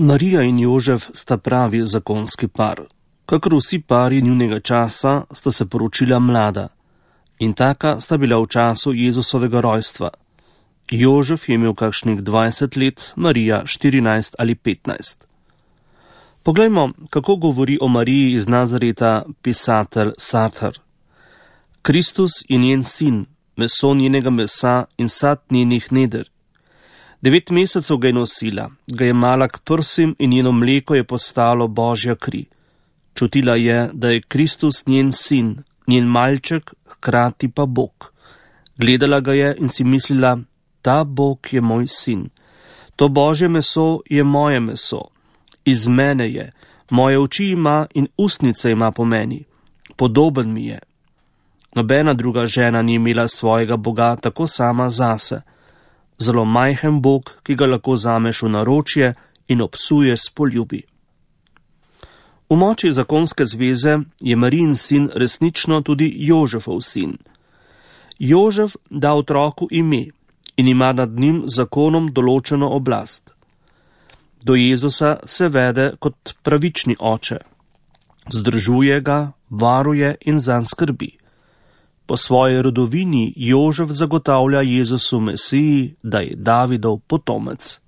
Marija in Jožef sta pravi zakonski par. Kakor vsi pari njunega časa sta se poročila mlada in taka sta bila v času Jezusovega rojstva. Jožef je imel kakšnih 20 let, Marija 14 ali 15. Poglejmo, kako govori o Mariji iz Nazareta pisatelj Sartre. Kristus je njen sin, meso njenega mesa in sad njenih neder. 9 mesecev ga je nosila, ga je mala k prsim in njeno mleko je postalo Božja kri. Čutila je, da je Kristus njen sin, njen malček, hkrati pa Bog. Gledala ga je in si mislila, ta Bog je moj sin. To Božje meso je moje meso. Iz mene je, moje oči ima in ustnice ima po meni. Podoben mi je. Nobena druga žena ni imela svojega Boga tako sama zase. Zelo majhen Bog, ki ga lahko zameš v naročje in obsuje s poljubi. V moči zakonske zveze je Marijin sin resnično tudi Jožefov sin. Jožef da otroku ime in ima nad njim zakonom določeno oblast. Do Jezusa se vede kot pravični oče. Zdržuje ga, varuje in zanj skrbi. Po svoji rodovini Jožef zagotavlja Jezusu Mesiji, da je Davidov potomec.